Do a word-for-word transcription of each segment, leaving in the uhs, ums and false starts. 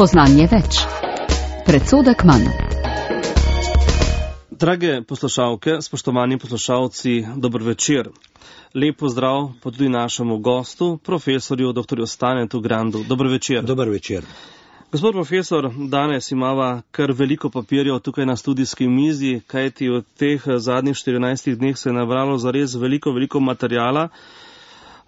Spoznanje več. Predsodek manj. Drage poslušalke, spoštovani poslušalci, dober večer. Lep pozdrav pa tudi našemu gostu, profesorju doktorju Stanetu Grandu. Dober večer. Dober večer. Gospod profesor, danes imava kar veliko papirjev tukaj na studijski mizi, kajti v teh zadnjih štirinajstih dneh se je nabralo zares veliko, veliko materijala,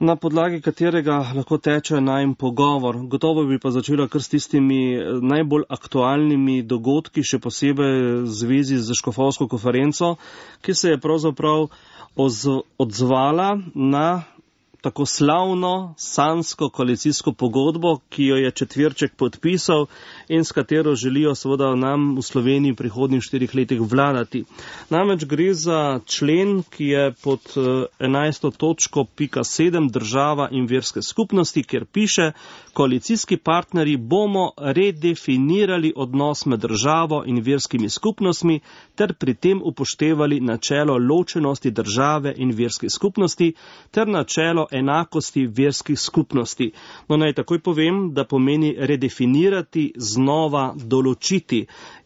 na podlagi katerega lahko teče najin pogovor. Gotovo bi pa začela kar s tistimi najbolj aktualnimi dogodki, še posebej v zvezi z škofovsko konferenco, ki se je pravzaprav odzvala na tako slavno sansko koalicijsko pogodbo, ki jo je Četverček podpisal in s katero želijo seveda nam v Sloveniji v prihodnjih štirih letih vladati. Namreč gre za člen, ki je pod enajsto točko pika sedem država in verske skupnosti, kjer piše: koalicijski partnerji bomo redefinirali odnos med državo in verskimi skupnostmi ter pri tem upoštevali načelo ločenosti države in verskih skupnosti ter načelo enakosti verskih skupnosti. No, naj takoj povem, da pomeni redefinirati, znova določiti.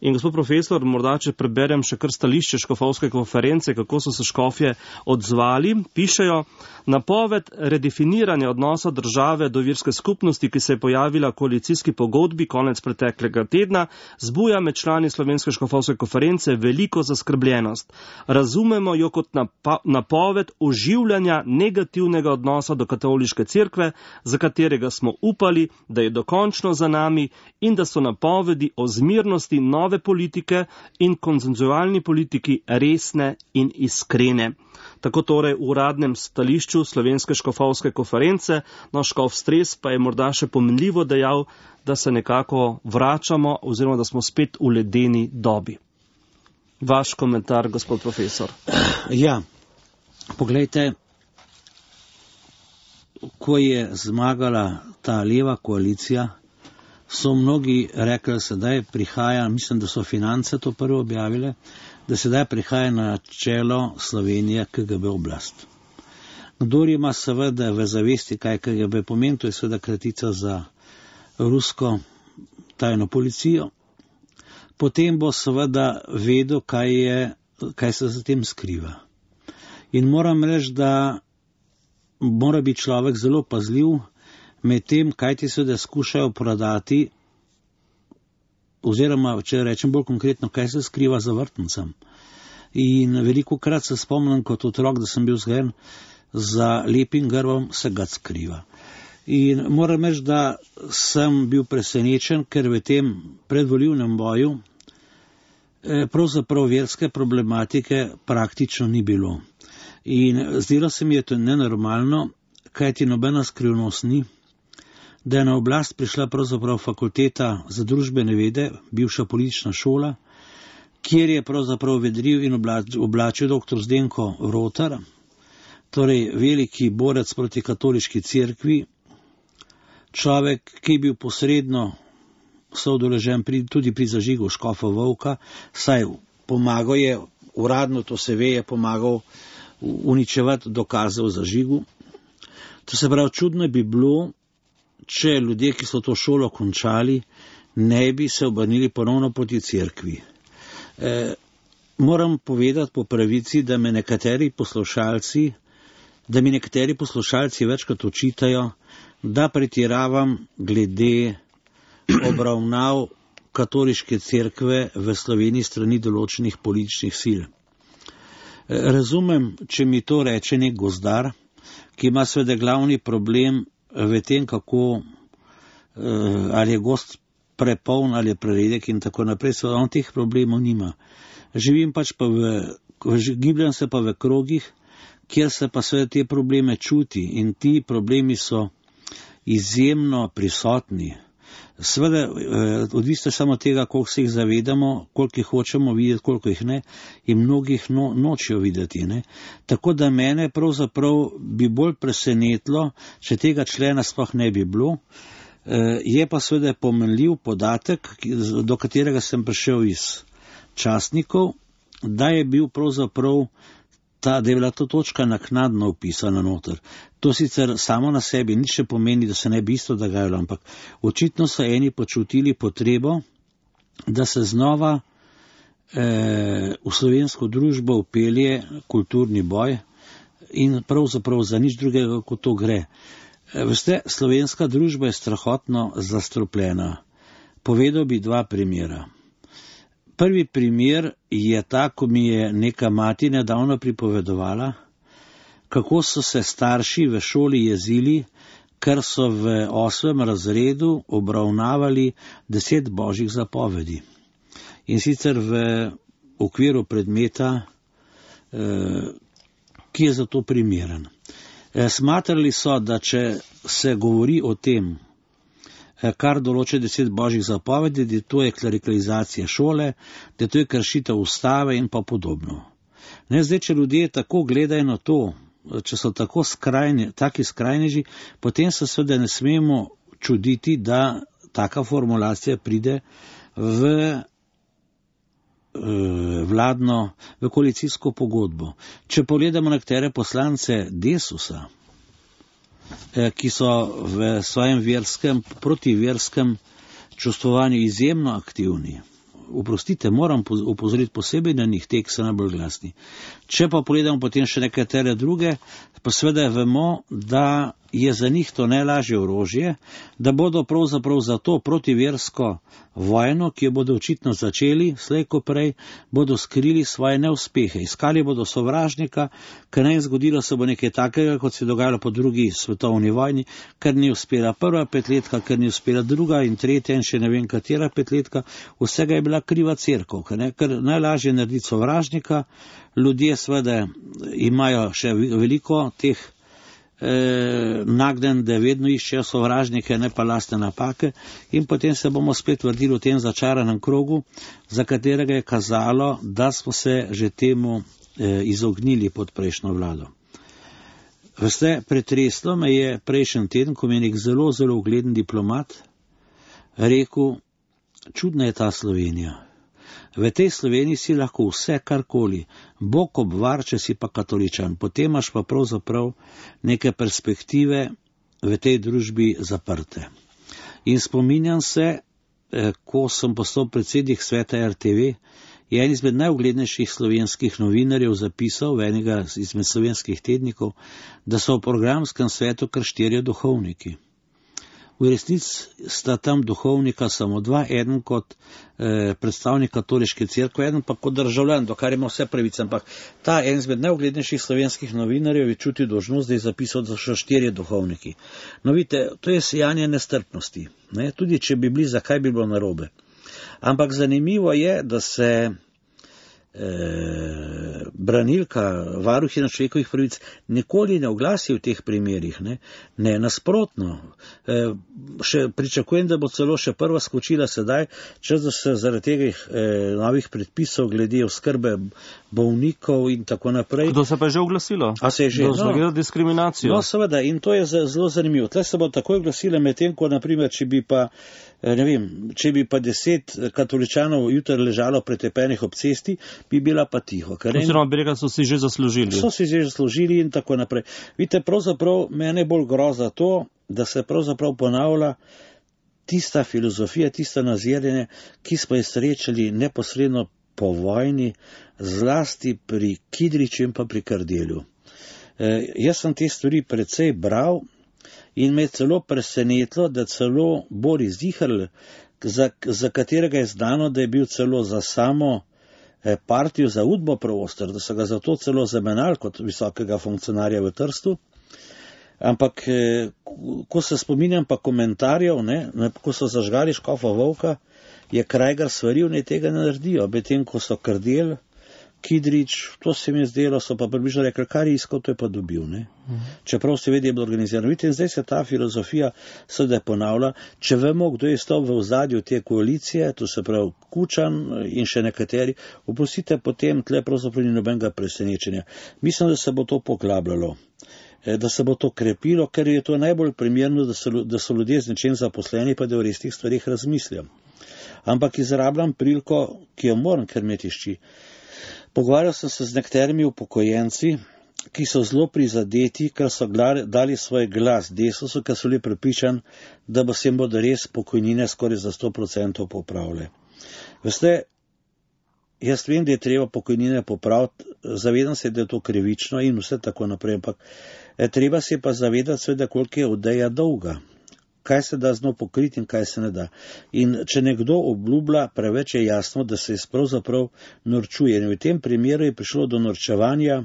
In gospod profesor, morda če preberem še kar stališče škofovske konference, kako so se škofje odzvali, pišejo: napoved redefiniranja odnosa države do verske skupnosti, ki se je pojavila v koalicijski pogodbi konec preteklega tedna, zbuja med člani slovenske škofovske konference veliko zaskrbljenost. Razumemo jo kot napoved oživljanja negativnega odnosa do katoliške cerkve, za katerega smo upali, da je dokončno za nami, in da so napovedi o zmirnosti nove politike in konsenzualni politiki resne in iskrene. Tako torej v uradnem stališču slovenske škofovske konference, no, škof Stres pa je morda še pomenljivo dejal, da se nekako vračamo oziroma da smo spet v ledeni dobi. Vaš komentar, gospod profesor. Ja, poglejte, ko je zmagala ta leva koalicija, so mnogi rekli, sedaj prihaja, mislim, da so Finance to prvo objavile, da sedaj prihaja na čelo Slovenije K G B oblast. Kdor ima seveda v zavesti, kaj K G B pomeni, to je seveda kratica za rusko tajno policijo, potem bo seveda vedel, kaj, je, kaj se za tem skriva. In moram reči, da mora biti človek zelo pazljiv med tem, kaj ti seveda skušajo prodati, oziroma, če rečem bolj konkretno, kaj se skriva za vrtnicam. In veliko krat se spomnim kot otrok, da sem bil vzgojen, za lepim grbom se ga skriva. In moram reči, da sem bil presenečen, ker v tem predvolilnem boju pravzaprav verske problematike praktično ni bilo. In zdelo se mi je to nenormalno, kajti nobena skrivnost ni, da je na oblast prišla pravzaprav fakulteta za družbene vede, bivša politična šola, kjer je pravzaprav vedril in oblačil doktor Zdenko Rotar, torej veliki borec proti katoliški cerkvi, človek, ki je bil posredno soudeležen pri, tudi pri zažigu škofa Vovka, saj pomagal je, uradno to se ve, je pomagal uničevati dokaze o zažigu. To se pravi, čudno bi bilo, če ljudje, ki so to šolo končali, ne bi se obrnili ponovno proti cerkvi. E, moram povedati po pravici, da me nekateri poslušalci, da mi nekateri poslušalci večkrat očitajo, da pretiravam glede obravnav katoliške cerkve v Sloveniji strani določenih političnih sil. Razumem, če mi to reče nek gozdar, ki ima seveda glavni problem v tem, kako, ali je gozd prepoln ali je preredek in tako naprej, seveda on teh problemov nima. Živim pač pa v, gibljam se pa v krogih, kjer se pa seveda te probleme čuti in ti problemi so izjemno prisotni. Seveda, odvisno samo tega, koliko se jih zavedamo, koliko jih hočemo videti, koliko jih ne, in mnogih no, nočejo videti. Ne. Tako da mene pravzaprav bi bolj presenetilo, če tega člena sploh ne bi bilo. Je pa seveda pomenljiv podatek, do katerega sem prišel iz časnikov, da je bil pravzaprav ta, da je bila to točka naknadno upisana noter. To sicer samo na sebi nič ne pomeni, da se ne bi isto dogajalo, ampak očitno so eni počutili potrebo, da se znova eh, v slovensko družbo upelje kulturni boj in pravzaprav za nič drugega, kot to gre. E, veste, slovenska družba je strahotno zastrupljena. Povedal bi dva primera. Prvi primer je ta, ko mi je neka mati nedavno pripovedovala, kako so se starši v šoli jezili, ker so v osmem razredu obravnavali deset božjih zapovedi. In sicer v okviru predmeta, eh, ki je za to primeren. Eh, smatrali so, da če se govori o tem, eh, kar določa deset božjih zapovedi, da to je klerikalizacija šole, da to je kršitev ustave in pa podobno. Ne, zdaj, če ljudje tako gledajo na to, če so tako skrajni, taki skrajneži, potem se seveda ne smemo čuditi, da taka formulacija pride v vladno, v koalicijsko pogodbo. Če pogledamo nekatere poslance Desusa, ki so v svojem verskem, protiverskem čustvovanju izjemno aktivni, oprostite, moram upozoriti posebej na njih, te, ki so najbolj glasni. Če pa pogledamo potem še nekatere druge, pa seveda vemo, da je za njih to najlažje orožje, da bodo pravzaprav za to protiversko vojno, ki jo bodo očitno začeli, slej ko prej, bodo skrili svoje neuspehe. Iskali bodo sovražnika, ker ne zgodilo se bo nekaj takega, kot se je dogajalo po drugi svetovni vojni, ker ni uspela prva petletka, ker ni uspela druga in tretja in še ne vem katera petletka, vsega je bila kriva cerkev, ker, ker najlažje narediti sovražnika, ljudje seveda imajo še veliko teh Eh, nagden, da vedno iščejo sovražnike, ne pa lastne napake, in potem se bomo spet vrtili v tem začaranem krogu, za katerega je kazalo, da smo se že temu eh, izognili pod prejšnjo vlado. Veste, pretreslo me je prejšnji teden, ko mi je nek zelo, zelo ugleden diplomat rekel, čudna je ta Slovenija. V tej Sloveniji si lahko vse karkoli, Bog obvar, če si pa katoličan, potem imaš pa pravzaprav neke perspektive v tej družbi zaprte. In spominjam se, ko sem postal predsednik sveta R T V, je en izmed najuglednejših slovenskih novinarjev zapisal v enega izmed slovenskih tednikov, da so v programskem svetu kar štirje duhovniki. V resnici sta tam duhovnika samo dva, eden kot eh, predstavnik katoliške cerkve, eden pa kot državljan, do kar ima vse pravice. Ampak ta en izmed najuglednejših slovenskih novinarjev je čutil dolžnost, da je zapisal, da so štirje duhovniki. No vidite, to je sijanje nestrpnosti. Ne? Tudi če bi bili, zakaj bi bilo narobe. Ampak zanimivo je, da se Eh, branilka, varuhinja človekovih pravic nikoli ne oglasi v teh primerih, ne, ne nasprotno. Eh, še pričakujem, da bo celo še prva skočila sedaj, čas da se zaradi tega eh, novih predpisov glede oskrbe bolnikov in tako naprej. Kdo se pa je že oglasilo? A se je že? No, diskriminacijo. No, seveda, in to je zelo zanimivo. Tle se bo takoj oglasile, medtem ko, naprimer, če bi pa ne vem, če bi pa deset katoličanov jutri ležalo pretepenih ob cesti, bi bila pa tiho. Oziroma bi rekel, so si že zaslužili. So si že zaslužili in tako naprej. Vidite, pravzaprav mene bolj groza to, da se pravzaprav ponavlja tista filozofija, tista nazirjenje, ki smo je srečali neposredno po vojni, zlasti pri Kidriču in pa pri Kardelju. E, jaz sem te stvari precej bral, in me je celo presenetilo, da celo Boris Ziherl, za, za katerega je znano, da je bil celo za samo eh, partijo za Udbo Pravostor, da so ga zato celo zamenjali kot visokega funkcionarja v Trstu. Ampak, eh, ko se spominjam pa komentarjev, ne, ne, ko so zažgali škofa Volka, je Krajgar svaril, ne tega ne naredijo, medtem ko so Kardel, Kidrič, to se mi je zdelo, so pa približno rekli, kar je iskal, to je pa dobil. Ne? Mhm. Čeprav se vedi, je bilo organizirano. Vidite, in zdaj se ta filozofija seveda ponavlja. Če vemo, kdo je stal v ozadju te koalicije, to se pravi Kučan in še nekateri, oprostite, potem tle pravzaprav ni nobenega presenečenja. Mislim, da se bo to poglabljalo, da se bo to krepilo, ker je to najbolj primerno, da so, da so ljudje z nečem zaposleni, pa da o resnih stvarih razmislijo. Ampak izrabljam priliko, ki jo moram, ker me tišči. Pogovarjal sem se z nekaterimi upokojenci, ki so zelo prizadeti, ker so dali svoj glas Desusu, ker so bili prepričani, da bo se jim bodo res pokojnine skoraj za sto procentov popravile. Veste, jaz vem, da je treba pokojnine popraviti, zavedam se, da je to krivično in vse tako naprej, ampak treba se pa zavedati, seveda, koliko je odeja dolga, kaj se da z njo pokriti in kaj se ne da. In če nekdo obljublja, preveč je jasno, da se pravzaprav norčuje. In v tem primeru je prišlo do norčevanja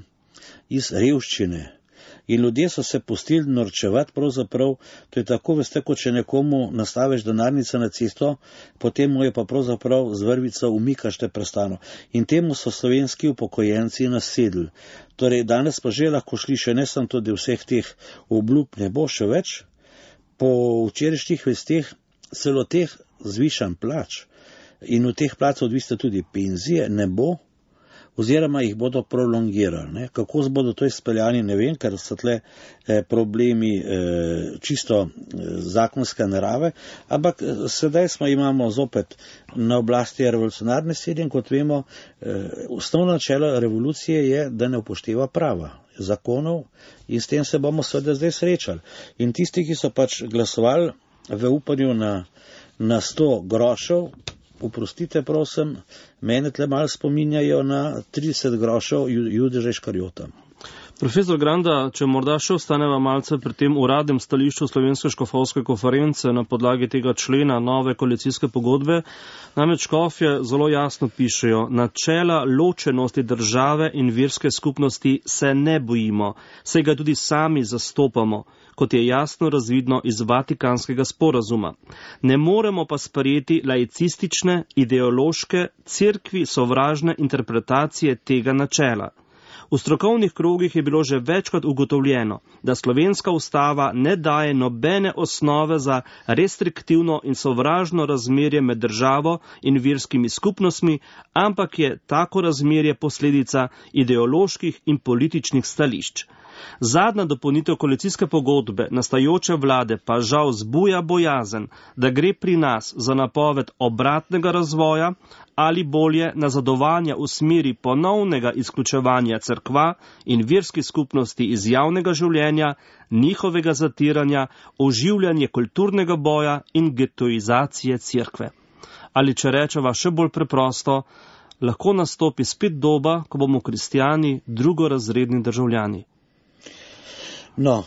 iz revščine. In ljudje so se pustili norčevati, pravzaprav, to je tako, veste, kot če nekomu nastaviš denarnico na cesto, potem mu je pa pravzaprav z vrvico umikaš te prestano. In temu so slovenski upokojenci nasedli. Torej, danes pa že lahko šli še ne samo to, da vseh teh obljub ne bo še več, po včerajšnjih vesteh celo teh zvišanj plač in od teh plač odvisne tudi penzije ne bo, oziroma jih bodo prolongirali. Ne. Kako bodo to izpeljani, ne vem, ker so tle eh, problemi eh, čisto eh, zakonske narave, ampak eh, sedaj smo imamo zopet na oblasti revolucionarne sile in kot vemo, eh, osnovno načelo revolucije je, da ne upošteva prava, zakonov in s tem se bomo seveda zdaj srečali. In tisti, ki so pač glasovali v upanju na, na sto grošev, oprostite, prosim, mene tle malo spominjajo na trideset grošev Judeža Iškarijota. Profesor Granda, če morda še ostaneva malce pri tem uradnem stališču Slovenske škofovske konference na podlagi tega člena nove koalicijske pogodbe, namreč škofje zelo jasno pišejo, načela ločenosti države in verske skupnosti se ne bojimo, saj ga tudi sami zastopamo, kot je jasno razvidno iz Vatikanskega sporazuma. Ne moremo pa sprejeti laicistične, ideološke, cerkvi sovražne interpretacije tega načela. V strokovnih krogih je bilo že večkrat ugotovljeno, da slovenska ustava ne daje nobene osnove za restriktivno in sovražno razmerje med državo in verskimi skupnostmi, ampak je tako razmerje posledica ideoloških in političnih stališč. Zadnja dopolnitev koalicijske pogodbe nastajajoče vlade pa žal zbuja bojazen, da gre pri nas za napoved obratnega razvoja ali bolje nazadovanja v smeri ponovnega izključevanja cerkva in verskih skupnosti iz javnega življenja, njihovega zatiranja, oživljanje kulturnega boja in getoizacije cerkve. Ali če rečeva še bolj preprosto, lahko nastopi spet doba, ko bomo kristjani drugorazredni državljani. No,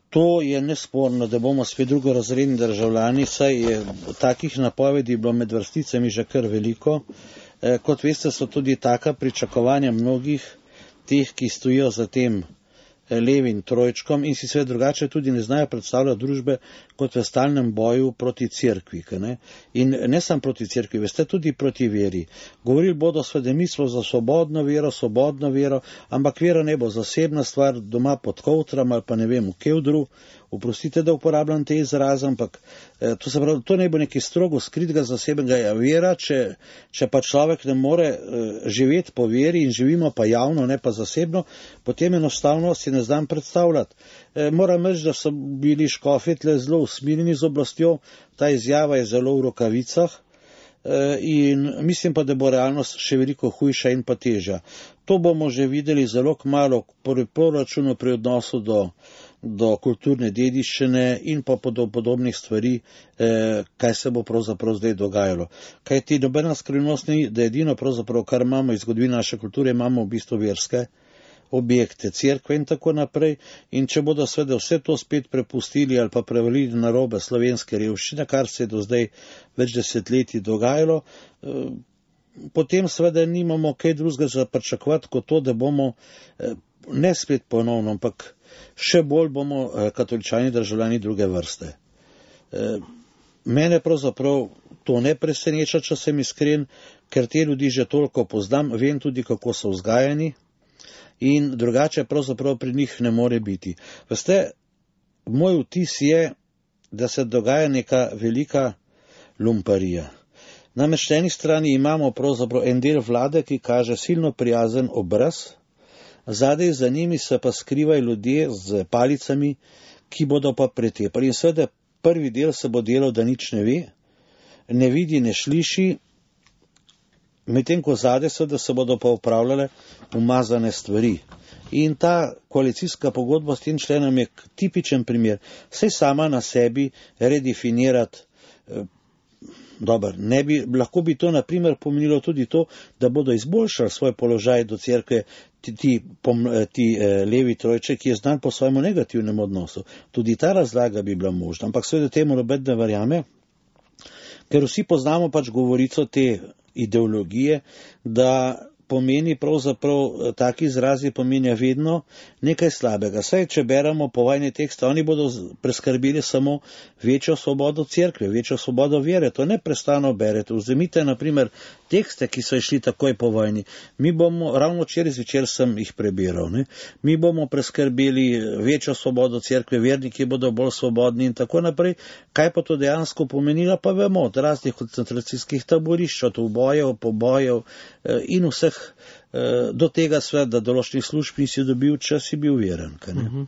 to je nesporno, da bomo spet drugorazredni državljani, saj je takih napovedi bilo med vrsticami že kar veliko. Kot veste, so tudi taka pričakovanja mnogih teh, ki stojijo za tem levim trojčkom in si sve drugače tudi ne znajo predstavljati družbe kot v stalnem boju proti cerkvi. Ne? In ne samo proti cerkvi, veste, tudi proti veri. Govorili bodo svede mislo za svobodno vero, svobodno vero, ampak vera ne bo zasebna stvar doma pod kovtram ali pa ne vem, v kevdru. Oprostite, da uporabljam te izraze, ampak eh, to se pravi, to ne bo neki strogo skritega zasebnega vera, če, če pa človek ne more eh, živeti po veri in živimo pa javno, ne pa zasebno, potem enostavno si ne znam predstavljati. Eh, moram reči, da so bili škofje tle zelo usmiljeni z oblastjo, ta izjava je zelo v rokavicah eh, in mislim pa, da bo realnost še veliko hujša in pa težja. To bomo že videli zelo kmalu pri proračunu, pri odnosu do do kulturne dediščine in pa podobnih stvari, eh, kaj se bo pravzaprav zdaj dogajalo. Kaj ti nobena skrivnost ni, da edino pravzaprav, kar imamo iz zgodovine naše kulture, imamo v bistvu verske objekte, cerkve in tako naprej. In če bodo seveda vse to spet prepustili ali pa prevalili na robe slovenske revščine, kar se je do zdaj več desetletij dogajalo, eh, potem seveda nimamo kaj drugega za pričakovati kot to, da bomo eh, ne spet ponovno, ampak še bolj bomo katoličani državljani druge vrste. Mene pravzaprav to ne preseneča, če sem iskren, ker te ljudi že toliko poznam, vem tudi, kako so vzgajani in drugače pravzaprav pri njih ne more biti. Veste, moj vtis je, da se dogaja neka velika lumparija. Namreč na eni strani imamo pravzaprav en del vlade, ki kaže silno prijazen obraz, zadaj za njimi se pa skrivajo ljudje z palicami, ki bodo pa pretepali. In seveda prvi del se bo delal, da nič ne ve, ne vidi, ne sliši, medtem ko zadaj seveda se bodo pa upravljale umazane stvari. In ta koalicijska pogodba s tem členom je tipičen primer. Saj sama na sebi redefinirati, eh, dober, ne bi, lahko bi to na primer pomenilo tudi to, da bodo izboljšali svoj položaj do cerkve ti, ti, pom, ti eh, levi trojče, ki je znan po svojemu negativnem odnosu. Tudi ta razlaga bi bila možna, ampak seveda temu noben ne verjame, ker vsi poznamo pač govorico te ideologije, da pomeni pravzaprav, taki izrazi pomenijo vedno nekaj slabega. Saj, če beremo povojne tekste, oni bodo preskrbili samo večjo svobodo cerkve, večjo svobodo vere. To neprestano berete. Vzemite, na primer, tekste, ki so išli takoj po vojni. Mi bomo, ravno včeraj zvečer sem jih prebiral, ne? Mi bomo preskrbeli večjo svobodo cerkve, verniki bodo bolj svobodni in tako naprej. Kaj pa to dejansko pomenilo, pa vemo, od raznih koncentracijskih taborišč, od ubojev, pobojev in vseh do tega sveta, da določenih služb nisi dobil, če si bil veren. Uh-huh.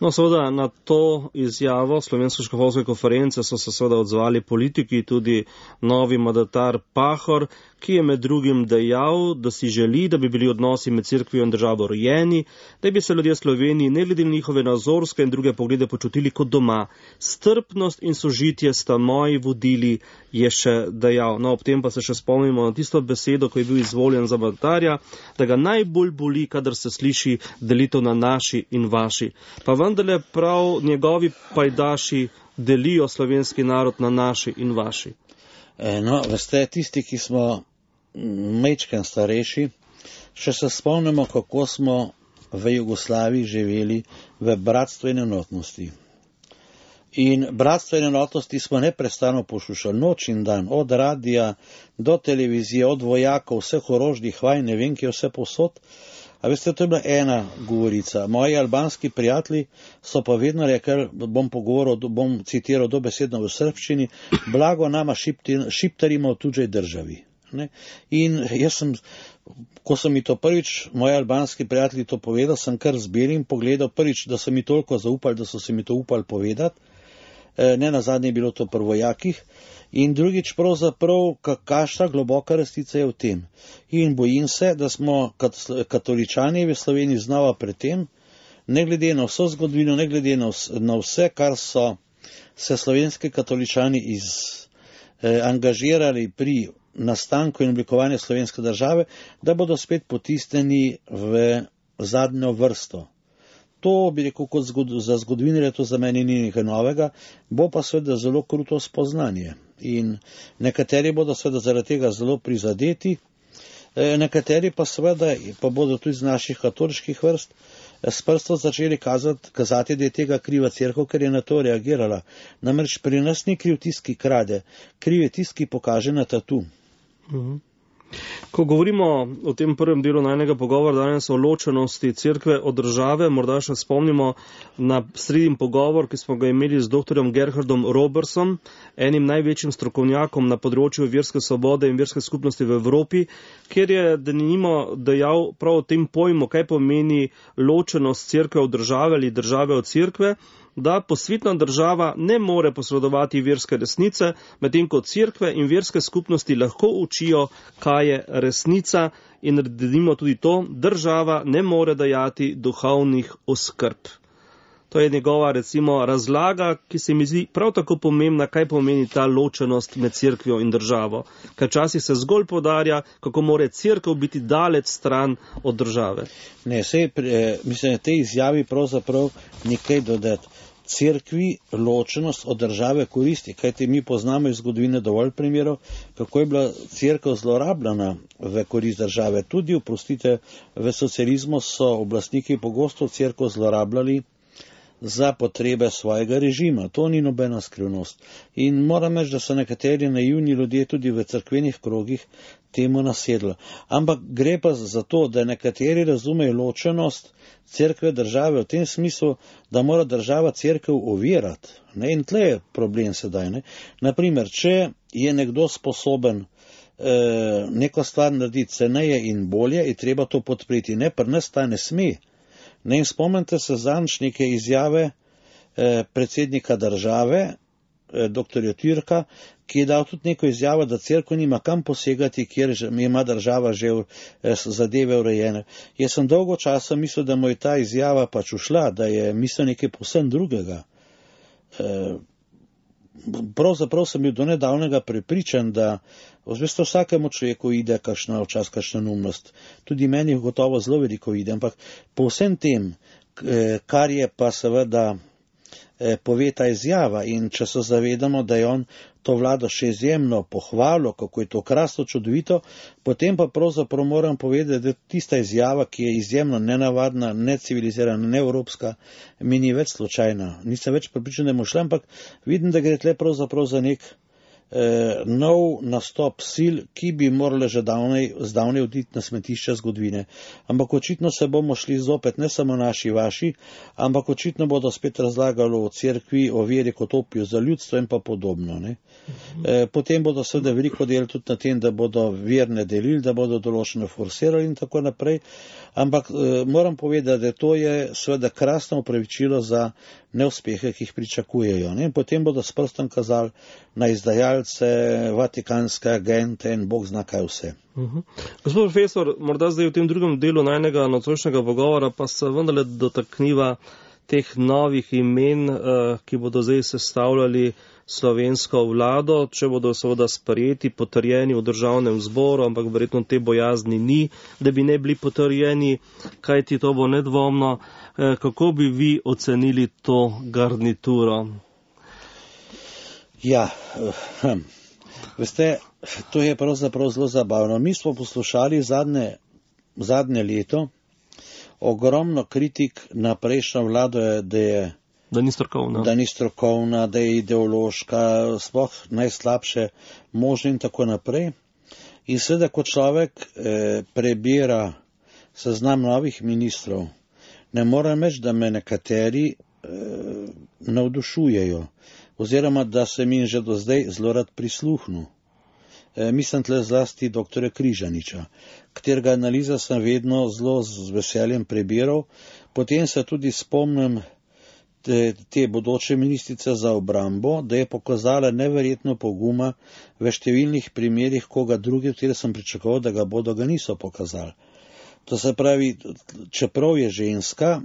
No, seveda na to izjavo Slovenske škofovske konference so se seveda odzvali politiki, tudi novi mandatar Pahor, ki je med drugim dejal, da si želi, da bi bili odnosi med cerkvijo in državo rojeni, da bi se ljudje Sloveniji ne glede na njihove nazorske in druge poglede počutili kot doma. Strpnost in sožitje sta moji vodili, je še dejal. No, ob tem pa se še spomnimo na tisto besedo, ko je bil izvoljen za mandatarja, da ga najbolj boli, kadar se sliši delitev na naši in vaši. Pa vendarle prav njegovi pajdaši delijo slovenski narod na naši in vaši. No, veste, tisti, ki smo majčken starejši, še se spomnimo, kako smo v Jugoslaviji živeli v bratstvu in enotnosti. In bratstvo in enotnosti smo neprestano poslušali noč in dan, od radija do televizije, od vojakov, vseh orožnih vaj, ne vem, ki je vse posod. A veste, to je bila ena govorica. Moji albanski prijatelji so pa vedno rekli, bom pogovoril, bom citiral dobesedno v srbščini, blago nama šiptarima v tuđej državi. Ne? In jaz sem, ko so mi to prvič, moji albanski prijatelji to povedali, sem kar zbil in pogledal prvič, da so mi toliko zaupali, da so se mi to upali povedati. Ne nazadnje je bilo to pri vojakih. In drugič pravzaprav, kakšna globoka resnica je v tem. In bojim se, da smo katoličani v Sloveniji znova pred tem, ne glede na vso zgodovino, ne glede na vse, kar so se slovenski katoličani iz, eh, angažirali pri nastanku in oblikovanju slovenske države, da bodo spet potisnjeni v zadnjo vrsto. To bi rekel, kot zgod, za zgodovinarja, to za meni ni nekaj novega, bo pa seveda zelo kruto spoznanje. In nekateri bodo seveda zaradi tega zelo prizadeti, nekateri pa seveda, pa bodo tudi iz naših katoliških vrst, s prstom začeli kazati, kazati, da je tega kriva cerkev, ker je na to reagirala. Namreč pri nas ni kriv tisti, ki krade, kriv je tisti, ki pokaže na tatu. Mhm. Ko govorimo o tem prvem delu najnega pogovora danes o ločenosti cerkve od države, morda še spomnimo na sredin pogovor, ki smo ga imeli z doktorjem Gerhardom Robertsom, enim največjim strokovnjakom na področju verske svobode in verske skupnosti v Evropi, kjer je denimo dejal prav o tem pojmu, kaj pomeni ločenost cerkve od države ali države od cerkve, da posvetna država ne more posredovati verske resnice, medtem ko cerkve in verske skupnosti lahko učijo, kaj je resnica, in naredimo tudi to, država ne more dajati duhovnih oskrb. To je njegova, recimo, razlaga, ki se mi zdi prav tako pomembna, kaj pomeni ta ločenost med cerkvijo in državo. Ker včasih se zgolj podarja, kako more cerkev biti daleč stran od države. Ne, sej, mislim, te izjavi pravzaprav nekaj dodati. Cerkvi ločenost od države koristi, kajti mi poznamo iz zgodovine dovolj primerov, kako je bila cerkev zlorabljena v korist države. Tudi, oprostite, v socializmu so oblastniki pogosto cerkev zlorabljali za potrebe svojega režima. To ni nobena skrivnost. In moram reči, da so nekateri naivni ljudje tudi v cerkvenih krogih temu nasedli. Ampak gre pa za to, da nekateri razumejo ločenost cerkve države v tem smislu, da mora država cerkev ovirati. Ne? In tle je problem sedaj. Ne? Naprimer, če je nekdo sposoben eh, neko stvar narediti ceneje in bolje, je treba to podpreti. Ne, pri nas ta ne sme. Ne, spomnite se zanč neke izjave eh, predsednika države, doktorja Türka, ki je dal tudi neko izjavo, da cerkev nima kam posegati, kjer ima država že zadeve urejene. Jaz sem dolgo časa mislil, da mu je ta izjava pač ušla, da je mislil nekaj povsem drugega. Pravzaprav sem bil do nedavnega prepričan, da veste, vsakemu človeku ide kakšna včasih kakšna neumnost. Tudi meni gotovo zelo veliko ide, ampak po vsem tem, kar je pa seveda pove ta izjava, in če se zavedamo, da je on to vlado še izjemno pohvalil, kako je to krasno, čudovito, potem pa pravzaprav moram povedati, da tista izjava, ki je izjemno nenavadna, necivilizirana, neevropska, mi ni več slučajna. Nisem več pripričan, da je mu šla, ampak vidim, da gre tle pravzaprav za nek eh, nov nastop sil, ki bi morale že davnej, zdavnej oditi na smetišče zgodovine. Ampak očitno se bomo šli zopet, ne samo naši, vaši, ampak očitno bodo spet razlagali o cerkvi, o veri kot opiju za ljudstvo in pa podobno. Ne? E, potem bodo seveda veliko delali tudi na tem, da bodo verne delili, da bodo določene forsirali in tako naprej. Ampak e, moram povedati, da to je seveda krasno upravičilo za neuspehe, ki jih pričakujejo. Ne? Potem bodo s prstom kazali na izdajalce, vatikanske agente in bog zna kaj vse. Uh-huh. Gospod profesor, morda zdaj v tem drugem delu najnega nocojšnjega pogovora pa se vendarle dotakniva teh novih imen, uh, ki bodo zdaj sestavljali slovensko vlado, če bodo seveda sprejeti, potrjeni v državnem zboru, ampak verjetno te bojazni ni, da bi ne bili potrjeni, kajti to bo nedvomno. Uh, kako bi vi ocenili to garnituro? Ja, hm. Veste, to je pravzaprav zelo zabavno. Mi smo poslušali zadnje, zadnje leto ogromno kritik na prejšnjo vlado, da je Da ni strokovna. Da ni strokovna, da je ideološka, sploh najslabše možno in tako naprej. In seveda, ko človek eh, prebira seznam novih ministrov, ne moram reči, da me nekateri eh, navdušujejo, oziroma da se mi že do zdaj zelo rad prisluhnu. E, mislim tle zlasti doktorja Križaniča, katerega analiza sem vedno zelo z veseljem prebiral. Potem se tudi spomnim te, te bodoče ministrice za obrambo, da je pokazala neverjetno poguma v številnih primerih koga druge, v kateri sem pričakoval, da ga bodo, ga niso pokazali. To se pravi, čeprav je ženska,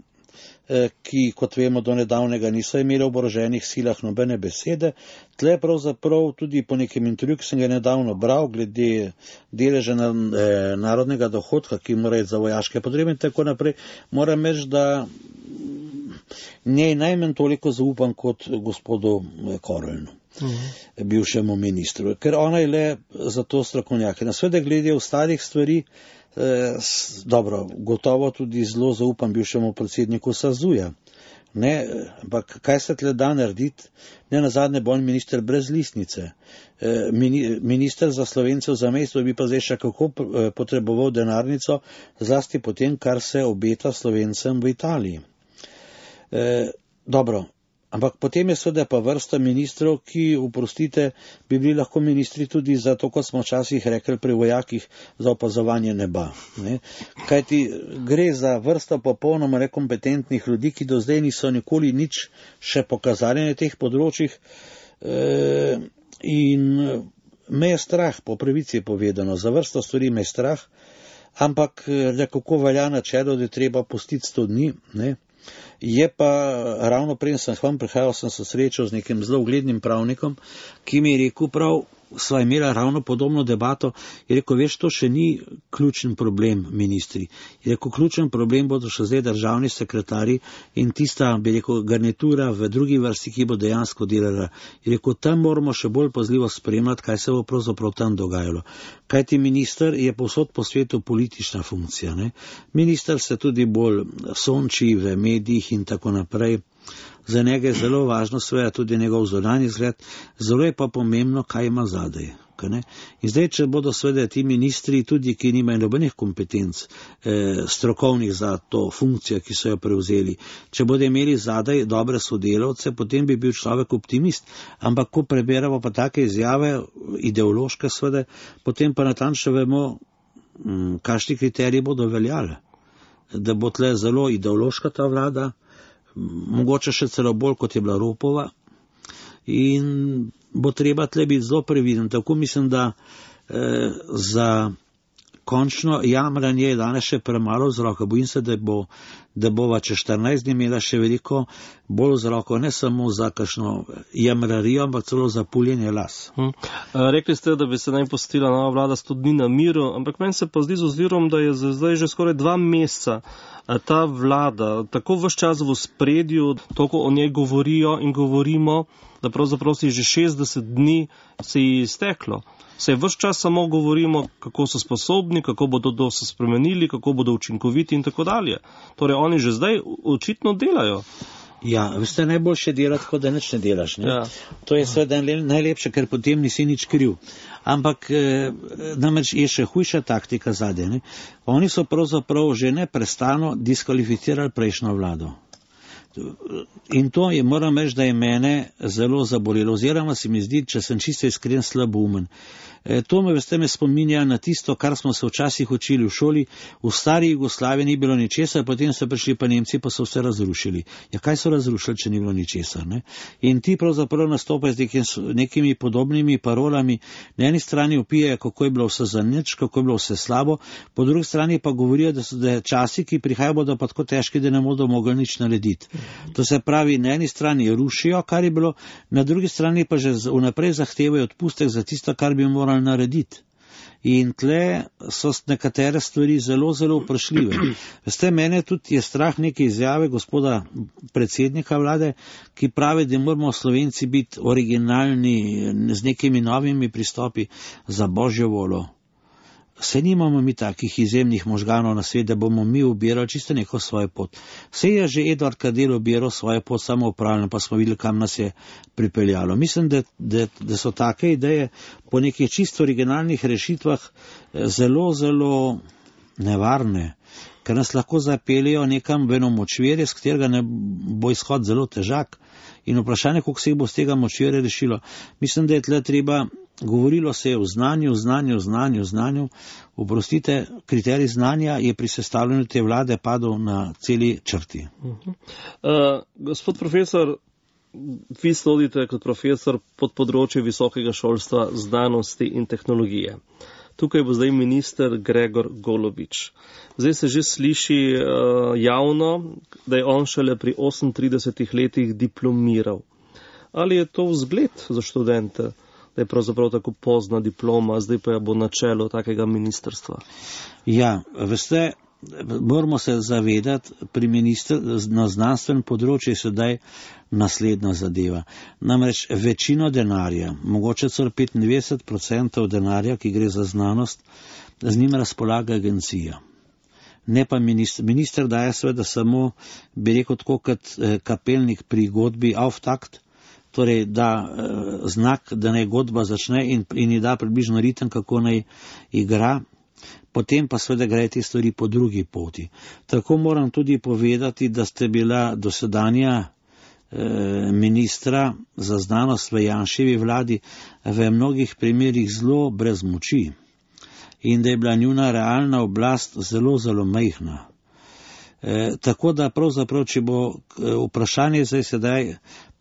ki, kot vemo, do nedavnega niso imeli v oboroženih silah nobene besede, tle pravzaprav tudi po nekem intervjuju, ki sem ga nedavno bral, glede deleža na, eh, narodnega dohodka, ki mora iti za vojaške potrebe in tako naprej, moram reči, da njej najmanj toliko zaupam kot gospodu Korelnu, uh-huh. bivšemu ministru, ker ona je le za to strokovnjak. Na sveda glede ostalih stvari, Eh, dobro, gotovo tudi zelo zaupam bivšemu predsedniku Sazuja. Ne, ampak kaj se tle da narediti? Ne nazadnje bo on minister brez listnice. Eh, mini, minister za Slovence v zamejstvu bi pa zdaj še kako potreboval denarnico, zlasti potem, kar se obeta Slovencem v Italiji. Eh, dobro. Ampak potem je seveda pa vrsta ministrov, ki, oprostite, bi bili lahko ministri tudi za to, kot smo včasih rekli pri vojakih, za opazovanje neba. Ne? Kajti gre za vrsto popolnoma nekompetentnih ljudi, ki do zdaj niso nikoli nič še pokazali na teh področjih. E, in me je strah, po pravici povedano, za vrsto stvari me je strah, ampak nekako velja načelo, da je treba pustiti sto dni, ne? Je pa ravno prej sem k vam prihajal, sem se srečal z nekim zelo uglednim pravnikom, ki mi je rekel prav, sva imela ravno podobno debato, je rekel, veš, to še ni ključen problem, ministri. Je rekel, ključen problem bodo še zdaj državni sekretari in tista, bi rekel, garnitura v drugi vrsti, ki bo dejansko delala. Je rekel, tam moramo še bolj pazljivo spremljati, kaj se bo pravzaprav tam dogajalo. Kajti minister je povsod po svetu politična funkcija. Ne? Minister se tudi bolj sonči v medijih in tako naprej. Za njega je zelo važno seveda tudi njegov zunanji izgled, zelo je pa pomembno, kaj ima zadaj. In zdaj, če bodo seveda ti ministri, tudi ki nimajo nobenih kompetenc eh, strokovnih za to funkcijo, ki so jo prevzeli, če bodo imeli zadaj dobre sodelavce, potem bi bil človek optimist. Ampak ko preberamo pa take izjave, ideološke seveda, potem pa natančno vemo, hm, kakšni kriteriji bodo veljali. Da bo tle zelo ideološka ta vlada, mogoče še celo bolj, kot je bila Ropova, in bo treba tle biti zelo previden. Tako mislim, da eh, za končno jamranje je danes še premalo vzroka. Bojim se, da bo, da bova čez štirinajst dni imela še veliko bolj vzrokov, ne samo za kakšno jamrarijo, ampak celo za puljenje las. Hm. Rekli ste, da bi se naj postila nova vlada sto dni na miru, ampak meni se pa zdi z ozirom, da je zdaj že skoraj dva meseca ta vlada tako ves čas v spredju, toliko o njej govorijo in govorimo, da pravzaprav si že šestdeset dni se ji izteklo. Se ves čas samo govorimo, kako so sposobni, kako bodo to se spremenili, kako bodo učinkoviti in tako dalje. Torej, oni že zdaj očitno delajo. Ja, veste, najboljše delati, kot da nič ne delaš. Ne? Ja. To je seveda najlepše, ker potem nisi nič kriv. Ampak eh, namreč je še hujša taktika zadaj. Ne? Oni so pravzaprav že neprestano diskvalificirali prejšnjo vlado. In to je, moram reči, da je mene zelo zabolelo. Oziroma se mi zdi, če sem čisto iskren, slaboumen. E, to me, veste, me spominja na tisto, kar smo se včasih učili v šoli. V stari Jugoslaviji ni bilo ničesar, potem so prišli pa Nemci, pa so vse razrušili. Ja, kaj so razrušili, če ni bilo ničesar? Ne? In ti pravzaprav nastopajo z nekim, nekimi podobnimi parolami. Na eni strani opijajo, kako je bilo vse za nič, kako je bilo vse slabo, po drugi strani pa govorijo, da so da časi, ki prihajajo, bodo pa tako težki, da ne bodo mogli nič narediti. To se pravi, na eni strani rušijo, kar je bilo, na drugi strani pa že vnaprej zahtevajo odpustek za tisto, kar bi morali narediti. In tle so nekatere stvari zelo, zelo vprašljive. Veste, mene tudi je strah neke izjave gospoda predsednika vlade, ki pravi, da moramo Slovenci biti originalni z nekimi novimi pristopi za božjo voljo. Se nimamo mi takih izjemnih možganov na svet, da bomo mi ubirali čisto neko svojo pot. Se je že Edvard Kadel ubiral svojo pot samo upravljeno, pa smo videli, kam nas je pripeljalo. Mislim, da, da, da so take ideje po nekih čisto originalnih rešitvah zelo, zelo nevarne, ker nas lahko zapeljejo nekam v eno močvirje, z katerega ne bo izhod zelo težak. In vprašanje, koliko se jih bo z tega močvirja rešilo. Mislim, da je tle treba. Govorilo se je o znanju, znanju, znanju, znanju. Oprostite, kriterij znanja je pri sestavljanju te vlade padel na celi črti. Uh -huh. uh, gospod profesor, vi sodite kot profesor pod področje visokega šolstva, znanosti in tehnologije. Tukaj bo zdaj minister Gregor Golobič. Zdaj se že sliši uh, javno, da je on šele pri osemintridesetih letih diplomiral. Ali je to vzgled za študente? Da je pravzaprav tako pozna diploma, zdaj pa je bo na čelu takega ministrstva. Ja, veste, moramo se zavedati, pri ministr, na znanstvenem področju je sedaj naslednja zadeva. Namreč večino denarja, mogoče celo petindevetdeset procentov denarja, ki gre za znanost, z njim razpolaga agencija. Ne pa minister. Minister daje seveda samo, bi rekel tako kot kapelnik pri godbi Auftakt, torej da eh, znak, da naj godba začne in, in ji da približno ritem, kako naj igra, potem pa seveda gre te stvari po drugi poti. Tako moram tudi povedati, da ste bila dosedanja eh, ministra za znanost v Janševi vladi v mnogih primerih zelo brez moči in da je bila njuna realna oblast zelo, zelo majhna. E, tako da pravzaprav, če bo vprašanje zdaj sedaj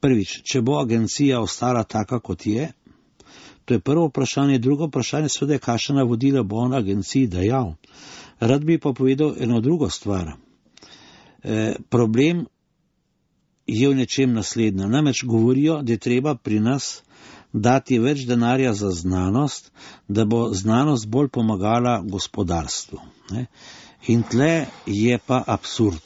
prvič, če bo agencija ostala taka, kot je, to je prvo vprašanje, drugo vprašanje seveda, kakšna navodila bo on agenciji dajal. Rad bi pa povedal eno drugo stvar. E, problem je v nečem naslednja. Namreč govorijo, da je treba pri nas dati več denarja za znanost, da bo znanost bolj pomagala gospodarstvu. Ne? In tle je pa absurd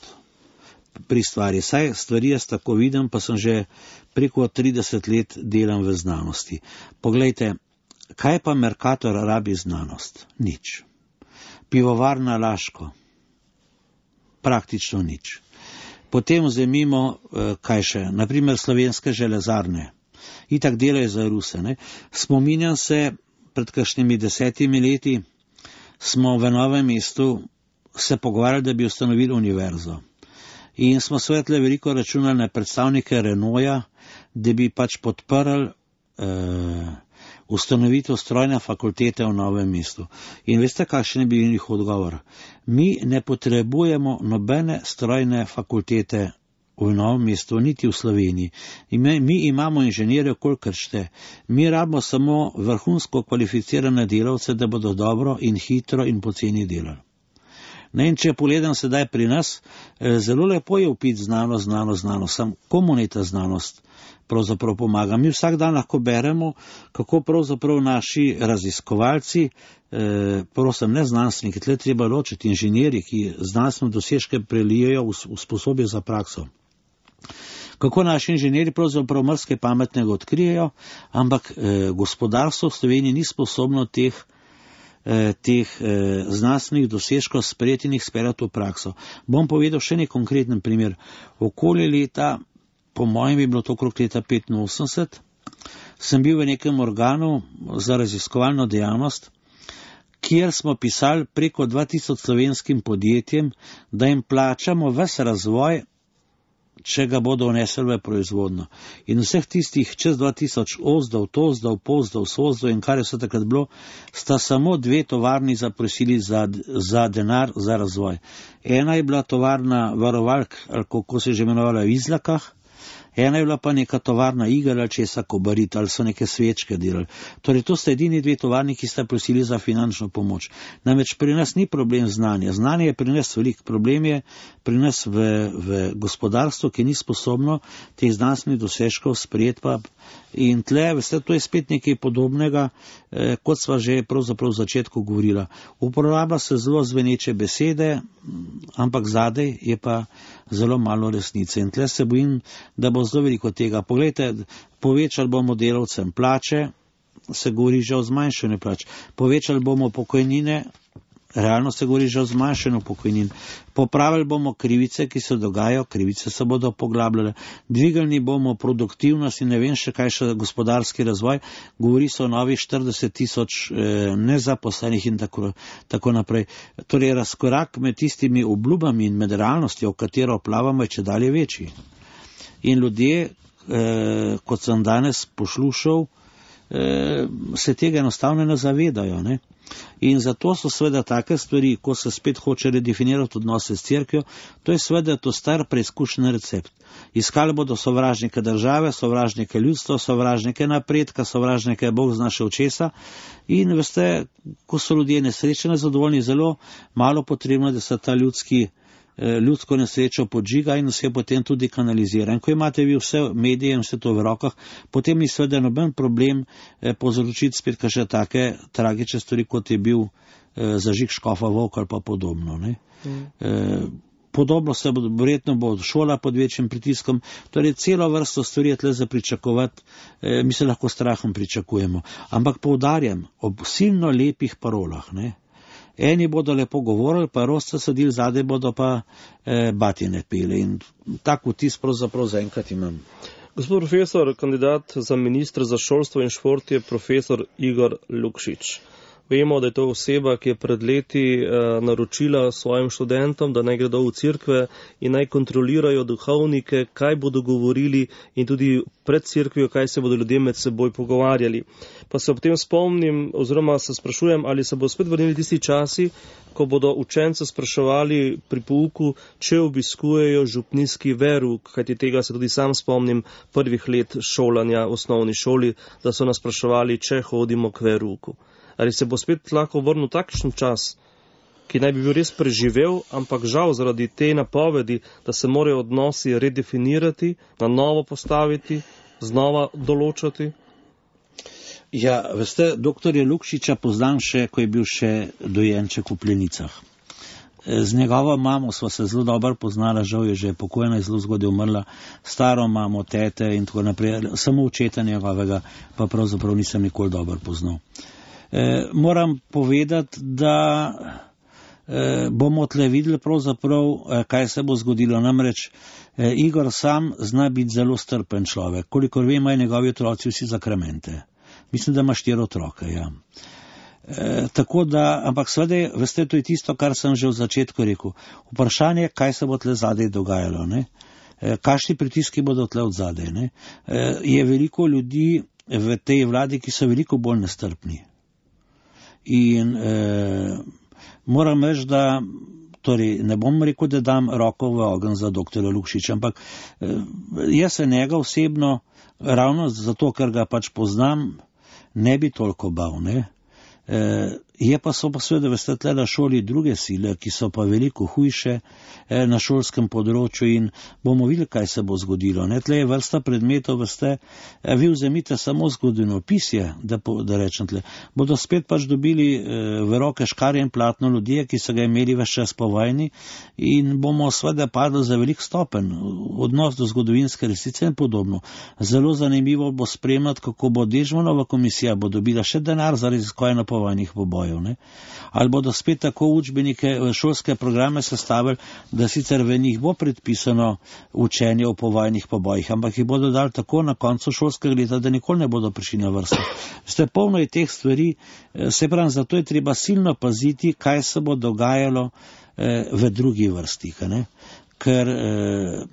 pri stvari. Saj stvari jaz tako vidim, pa sem že preko trideset let delam v znanosti. Poglejte, kaj pa Mercator rabi znanost? Nič. Pivovarna Laško? Praktično nič. Potem vzemimo, kaj še, naprimer Slovenske železarne. Itak delajo za Ruse. Ne? Spominjam se, pred kakšnimi desetimi leti smo v Novem mestu se pogovarjali, da bi ustanovili univerzo. In smo svetle veliko računali na predstavnike Renaulta, da bi pač podprli uh, ustanovitev strojne fakultete v Novem mestu. In veste, kakšen je bil njihov odgovor? Mi ne potrebujemo nobene strojne fakultete v Novem mestu, niti v Sloveniji. Mi, mi imamo inženirje, kolikor šte. Mi rabimo samo vrhunsko kvalificirane delavce, da bodo dobro in hitro in poceni delali. Ne, in če pogledam sedaj pri nas, zelo lepo je upiti znanost, znanost, znanost, sam komu ne ta znanost pravzaprav pomaga. Mi vsak dan lahko beremo, kako pravzaprav naši raziskovalci, eh, prosim, ne znanstveniki, tle treba ločiti inženirji, ki znanstveno dosežke prelijejo v, v sposobje za prakso. Kako naši inženirji pravzaprav marsikaj pametnega odkrijejo, ampak eh, gospodarstvo v Sloveniji ni sposobno teh eh, teh eh, znanstvenih dosežkov sprejeti in jih speljati v prakso. Bom povedal še nek konkreten primer. Okoli leta, po mojem je bilo to okrog leta petinosemdeset, sem bil v nekem organu za raziskovalno dejavnost, kjer smo pisali preko dva tisoč slovenskim podjetjem, da jim plačamo ves razvoj, če ga bodo vnesli v proizvodno. In vseh tistih čez dva tisoč ozdov, tozdov, pozdov, sozdov in kar je vse takrat bilo, sta samo dve tovarni zaprosili za, za denar, za razvoj. Ena je bila tovarna varovalk, ali kako se je že imenovala, v Izlakah, ena je bila pa neka tovarna iger ali česa Kobarit, ali so neke svečke delali. Torej, to sta edini dve tovarni, ki sta prosili za finančno pomoč. Namreč pri nas ni problem znanja. Znanje je pri nas velik. Problem je pri nas v, v gospodarstvu, ki ni sposobno teh znanstvenih dosežkov sprejeti pa. In tle, veste, to je spet nekaj podobnega, eh, kot sva že pravzaprav v začetku govorila. Uporablja se zelo zveneče besede, ampak zadej je pa zelo malo resnice. In tle se bojim, da bo zelo veliko tega. Poglejte, povečali bomo delavcem plače, se govori že o zmanjšanju plač. Povečali bomo pokojnine, realno se govori že o zmanjšanju pokojnin. Popravili bomo krivice, ki se dogajajo, krivice se bodo poglabljale. Dvigali bomo produktivnost in ne vem še kaj še gospodarski razvoj. Govori se o novih štirideset tisoč eh, nezaposlenih in tako, tako naprej. Torej, razkorak med tistimi obljubami in med realnostjo, v katero plavamo, je čedalje večji. In ljudje, eh, kot sem danes poslušal, eh, se tega enostavno ne zavedajo, ne? In zato so seveda take stvari, ko se spet hoče redefinirati odnose s cerkvijo, to je seveda to star preizkušen recept. Iskali bodo sovražnike države, sovražnike ljudstva, sovražnike napredka, sovražnike Bog zna še česa. In veste, ko so ljudje nesrečni, zadovoljni, zelo malo potrebno, da se ta ljudski ljudsko nesrečo podžiga in se potem tudi kanalizira. In ko imate vi vse medije in vse to v rokah, potem ni seveda noben problem eh, povzročiti spet kakšne take tragične stvari, kot je bil eh, zažig Škofa Volk ali pa podobno. Ne? Mm. Eh, podobno se bo, verjetno bo šola pod večjim pritiskom, torej celo vrsto stvari je tle za pričakovati, eh, mi se lahko strahom pričakujemo. Ampak poudarjam, ob silno lepih parolah, ne? Eni bodo lepo govorili, pa rosta sadili, zadaj bodo pa eh, batine pili. In tak vtis pravzaprav zaenkrat imam. Gospod profesor, kandidat za ministra za šolstvo in šport je profesor Igor Lukšič. Vemo, da je to oseba, ki je pred leti uh, naročila svojim študentom, da naj gredo v cerkve in naj kontrolirajo duhovnike, kaj bodo govorili in tudi pred cerkvijo, kaj se bodo ljudje med seboj pogovarjali. Pa se ob tem spomnim, oziroma se sprašujem, ali se bo spet vrnili tisti časi, ko bodo učence spraševali pri pouku, če obiskujejo župnijski verouk, kajti tega se tudi sam spomnim prvih let šolanja v osnovni šoli, da so nas spraševali, če hodimo k verouku. Ali se bo spet lahko vrnil takšen čas, ki naj bi bil res preživel, ampak žal zaradi te napovedi, da se morajo odnosi redefinirati, na novo postaviti, znova določati? Ja, veste, doktorja Lukšiča poznam še, ko je bil še dojenček v Plenicah. Z njegovo mamo sva se zelo dobro poznala, žal je že pokojna, je zelo zgodaj umrla, staro mamo, tete in tako naprej, samo očeta njegovega pa pravzaprav nisem nikoli dobro poznal. E, moram povedati, da e, bomo tle videli pravzaprav, e, kaj se bo zgodilo. Namreč e, Igor sam zna biti zelo strpen človek. Kolikor vem, imajo njegovi otroci vsi zakramente. Mislim, da ima štiri otroke, ja. E, tako da, ampak seveda, veste, to je tisto, kar sem že v začetku rekel. Vprašanje, kaj se bo tle zadaj dogajalo, ne? E, kakšni pritiski bodo tle od zadaj, ne? E, je veliko ljudi v tej vladi, ki so veliko bolj nestrpni. In eh, moram reči, da torej ne bom rekel, da dam roko v ogenj za doktorja Lukšiča, ampak jaz se njega osebno, ravno zato, ker ga pač poznam, ne bi toliko bal, ne. E, je pa so pa seveda veste tle na šoli druge sile, ki so pa veliko hujše e, na šolskem področju in bomo videli, kaj se bo zgodilo. Ne? Tle je vrsta predmetov, veste, e, vi vzemite samo zgodovinopisje, da, da rečem tle, bodo spet pač dobili e, v roke škarje in platno ljudje, ki so ga imeli ves čas po vojni in bomo seveda padli za velik stopen, odnos do zgodovinske resnice in podobno. Zelo zanimivo bo spremljati, kako bo Dežmanova komisija bo dobila še denar za raziskanje povojnih pobojov, ne? Ali bodo spet tako učbenike, šolske programe sestavili, da sicer v njih bo predpisano učenje o povojnih pobojih, ampak jih bodo dali tako na koncu šolskega leta, da nikoli ne bodo prišli na vrsto. Ste polno je teh stvari, se pravim, zato je treba silno paziti, kaj se bo dogajalo eh, v drugi vrsti, ne? Ker eh,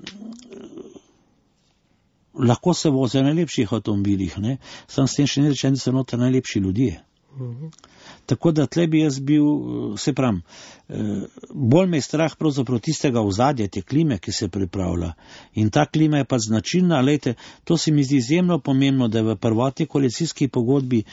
lahko se voze na najlepših avtomobilih, ne? Sam s tem še ne rečem, da so noter najlepši ljudje. Uhum. Tako da tle bi jaz bil, se pravim, bolj me je strah pravzaprav tistega ozadja, te klime, ki se pripravlja. In ta klima je pa značilna, lejte, to se mi zdi izjemno pomembno, da v prvotni koalicijski pogodbi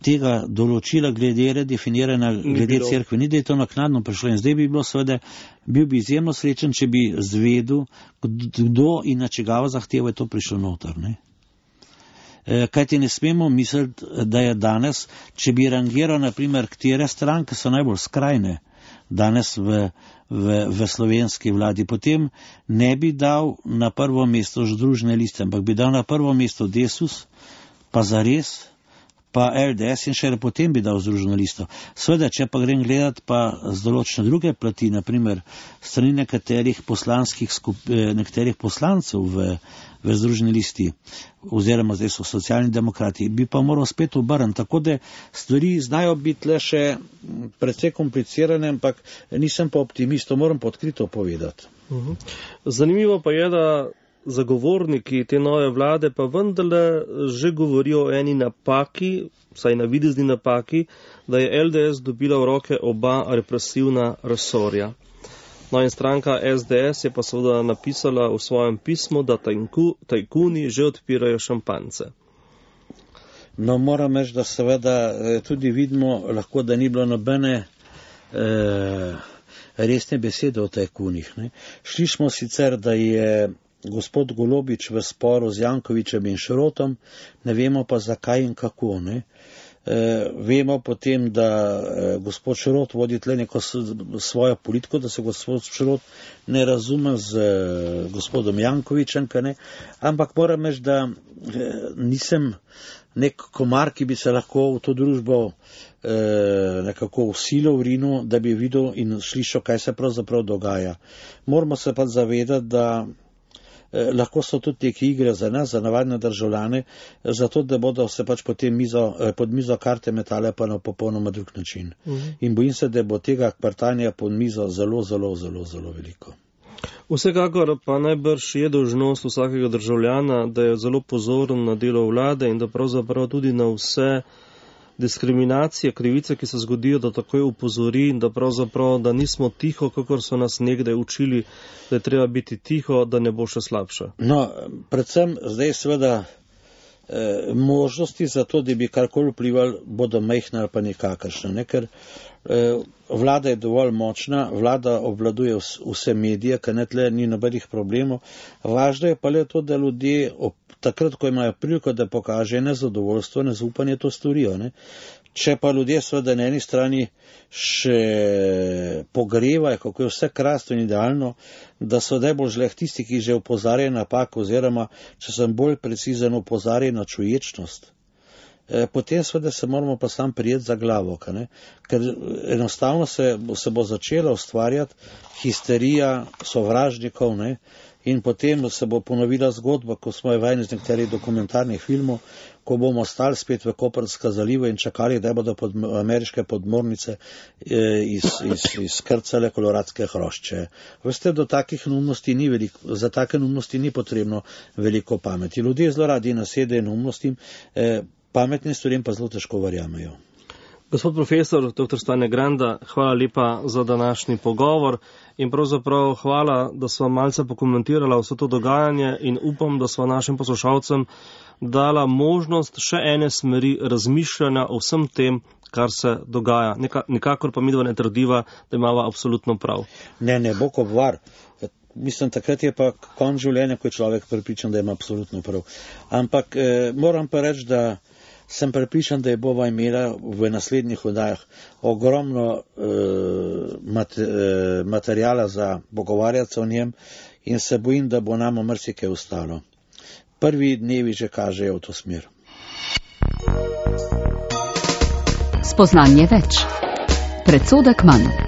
tega določila glede redefiniranja, glede cerkve, ni da je to naknadno prišlo. In zdaj bi bilo seveda, bil bi izjemno srečen, če bi zvedel, kdo in na čigavo zahtevo je to prišlo noter, ne? Kaj ti ne smemo misliti, da je danes, če bi rangiral, naprimer, katere stranke so najbolj skrajne danes v, v, v slovenski vladi, potem ne bi dal na prvo mesto Združene liste, ampak bi dal na prvo mesto Desus, pa Zares, pa L D S in še potem bi dal Združeno listo. Sveda, če pa grem gledat pa z določene druge plati, naprimer strani nekaterih poslanskih skup, nekaterih poslancev v, v Združeni listi, oziroma zdaj so socialni demokrati, bi pa moral spet obrniti. Tako da stvari znajo biti le še precej komplicirane, ampak nisem pa optimist, to moram pa odkrito povedati. Uh-huh. Zanimivo pa je, da zagovorniki te nove vlade pa vendarle že govorijo o eni napaki, vsaj navidezni napaki, da je L D S dobila v roke oba represivna resorja. No in stranka S D S je pa seveda napisala v svojem pismu, da tajku, tajkuni že odpirajo šampance. No, moram reči, da seveda tudi vidimo lahko, da ni bilo nobene eh, resne besede o tajkunih. Ne? Šli smo sicer, da je gospod Golobič v sporu z Jankovičem in Šrotom, ne vemo pa zakaj in kako. Ne? E, vemo potem, da e, gospod Šrot vodi tle neko svojo politiko, da se gospod Šrot ne razume z e, gospodom Jankovičem, ne? Ampak moram reči, da e, nisem nek komar, ki bi se lahko v to družbo e, nekako usilil v rinu, da bi videl in slišal, kaj se pravzaprav dogaja. Moramo se pa zavedati, da Eh, lahko so tudi neke igre za nas, za navadne državljane, zato da bodo se pač potem mizo, eh, pod mizo karte metale pa na popolnoma drug način. Uh-huh. In bojim se, da bo tega kvartanja pod mizo zelo, zelo, zelo, zelo veliko. Vsekakor pa najbrž je dolžnost vsakega državljana, da je zelo pozoren na delo vlade in da pravzaprav tudi na vse diskriminacije, krivice, ki se zgodijo, da takoj upozori in da pravzaprav, da nismo tiho, kakor so nas nekdaj učili, da je treba biti tiho, da ne bo še slabše. No, predvsem zdaj seveda eh, možnosti za to, da bi karkoli vplivali, bodo majhne ali pa nikakršne, ne? Ker eh, vlada je dovolj močna, vlada obvladuje vse medije, ker ne tle ni nobenih problemov. Važno je pa le to, da ljudje ob takrat, ko imajo priliko, da pokaže nezadovoljstvo, nezaupanje, to storijo. Ne? Če pa ljudje seveda na eni strani še pogrevajo, kako je vse krasno in idealno, da so najbolj žleh tisti, ki že opozarjajo napako, oziroma, če sem bolj precizen, opozarjajo na čuječnost. E, potem seveda se moramo pa sam prijeti za glavo, ne? Ker enostavno se, se bo začela ustvarjati histerija sovražnikov, ne? In potem se bo ponovila zgodba, ko smo jo vajeni z nekaterih dokumentarnih filmov, ko bomo stali spet v Koprska zalivu in čakali, da bodo pod, ameriške podmornice iz, iz, izkrcale koloradske hrošče. Veste, do takih neumnosti ni veliko, za take neumnosti ni potrebno veliko pameti. Ljudje zelo radi nasedejo neumnostim, eh, pametnim stvarem pa zelo težko verjamejo. Gospod profesor, doktor Stane Granda, hvala lepa za današnji pogovor in pravzaprav hvala, da sva malce pokomentirala vse to dogajanje in upam, da sva našim poslušalcem dala možnost še ene smeri razmišljanja o vsem tem, kar se dogaja. Neka, nikakor pa midva ne trdiva, da imava absolutno prav. Ne, ne, Bog obvar. Mislim, takrat je pa konc življenja, ko je človek prepričan, da ima absolutno prav. Ampak eh, moram pa reči, da sem prepričan, da je bova imela v naslednjih oddajah ogromno eh, mat, eh, materijala za pogovarjati se o njem in se bojim, da bo nam marsikaj ostalo. Prvi dnevi že kažejo v to smer. Spoznanje več. Predsodek manj.